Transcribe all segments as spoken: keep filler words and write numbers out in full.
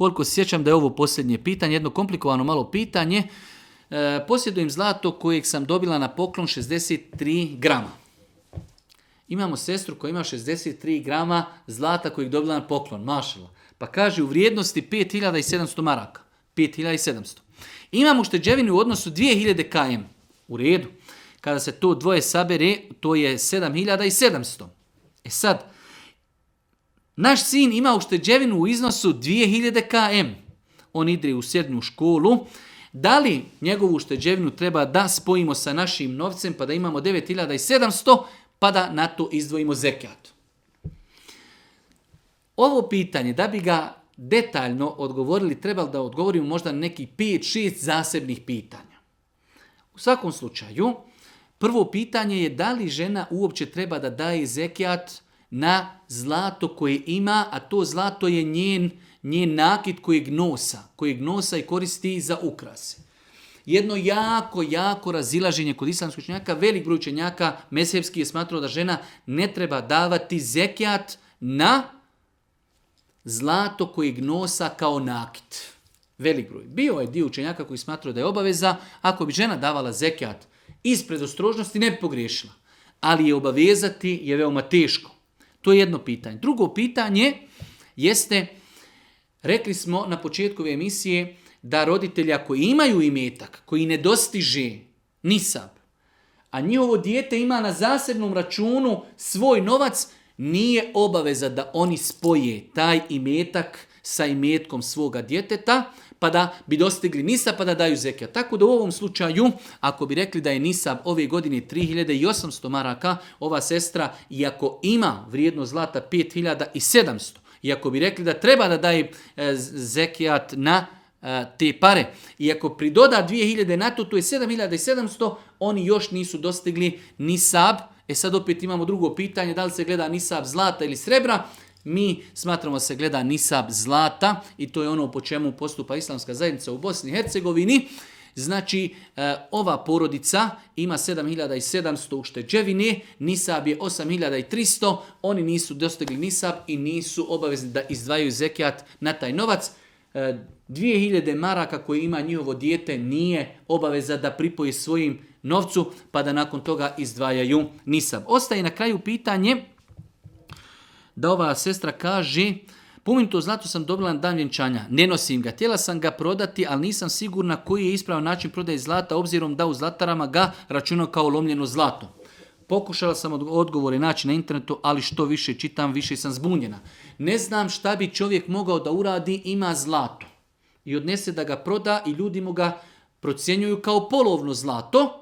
koliko se sjećam da je ovo posljednje pitanje, jedno komplikovano malo pitanje. E, posjedujem zlato kojeg sam dobila na poklon šezdeset tri grama. Imamo sestru koja ima šezdeset tri grama zlata kojeg dobila na poklon, mašala. Pa kaže u vrijednosti pet hiljada sedamsto maraka. pet hiljada sedamsto. Imamo ušteđevinu u odnosu dvije hiljade km. U redu. Kada se to dvoje sabere, to je sedam hiljada sedamsto. E sad, naš sin ima ušteđevinu u iznosu dvije hiljade km. On ide u srednju školu. Da li njegovu ušteđevinu treba da spojimo sa našim novcem pa da imamo devet hiljada sedamsto pa da na to izdvojimo zekat? Ovo pitanje, da bi ga detaljno odgovorili, trebalo da odgovorimo možda na nekih pet šest zasebnih pitanja. U svakom slučaju, prvo pitanje je da li žena uopće treba da daje zekat na zlato koje ima, a to zlato je njen, njen nakit kojeg nosa, kojeg nosa i koristi za ukrase. Jedno jako, jako razilaženje kod islamskih učenjaka, velik broj učenjaka mezhebski je smatrao da žena ne treba davati zekat na zlato kojeg nosa kao nakit. Velik broj. Bio je dio učenjaka koji smatrao da je obaveza, ako bi žena davala zekat iz predostrožnosti ne bi pogriješila. Ali je obavezati je veoma teško. To je jedno pitanje. Drugo pitanje jeste, rekli smo na početku ove emisije, da roditelji ako imaju imetak koji ne dostiže nisab, a njihovo dijete ima na zasebnom računu svoj novac, nije obaveza da oni spoje taj imetak sa imetkom svoga djeteta, pa da bi dostigli nisab, pa da daju zekat. Tako da u ovom slučaju, ako bi rekli da je nisab ove godine tri hiljade osamsto maraka, ova sestra, iako ima vrijednost zlata pet hiljada sedamsto, iako bi rekli da treba da daje e, zekat na e, te pare, iako pridoda dvije hiljade na to, to je sedam hiljada sedamsto, oni još nisu dostigli nisab. E sad opet imamo drugo pitanje, da li se gleda nisab zlata ili srebra. Mi smatramo da se gleda nisab zlata i to je ono po čemu postupa islamska zajednica u Bosni i Hercegovini. Znači, e, ova porodica ima sedam hiljada sedamsto ušteđevine, nisab je osam hiljada tristo, oni nisu dostigli nisab i nisu obavezni da izdvajaju zekat na taj novac. E, dvije hiljade maraka koje ima njihovo dijete nije obaveza da pripoji svojim novcu, pa da nakon toga izdvajaju nisab. Ostaje na kraju pitanje da ova sestra kaže, pomenuto zlato sam dobila na dan vjenčanja, ne nosim ga, htjela sam ga prodati, ali nisam sigurna koji je ispravan način prodaje zlata, obzirom da u zlatarama ga računao kao lomljeno zlato. Pokušala sam odgovore naći na internetu, ali što više čitam, više sam zbunjena. Ne znam šta bi čovjek mogao da uradi, ima zlato i odnese da ga proda i ljudi mu ga procjenjuju kao polovno zlato.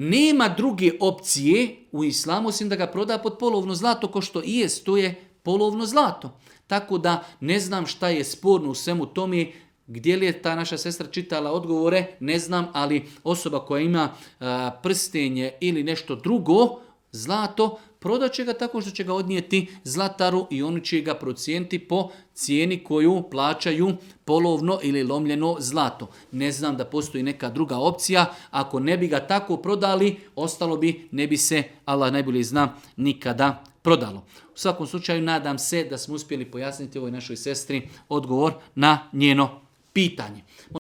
Nema druge opcije u islamu osim da ga proda pod polovno zlato, ko što i jest, to je polovno zlato. Tako da ne znam šta je sporno u svemu tome, gdje li je ta naša sestra čitala odgovore, ne znam, ali osoba koja ima a, prstenje ili nešto drugo, zlato, prodat će ga tako što će ga odnijeti zlataru i oni će ga procijeniti po cijeni koju plaćaju polovno ili lomljeno zlato. Ne znam da postoji neka druga opcija, ako ne bi ga tako prodali, ostalo bi, ne bi se, Allah najbolje zna, nikada prodalo. U svakom slučaju nadam se da smo uspjeli pojasniti ovoj našoj sestri odgovor na njeno pitanje.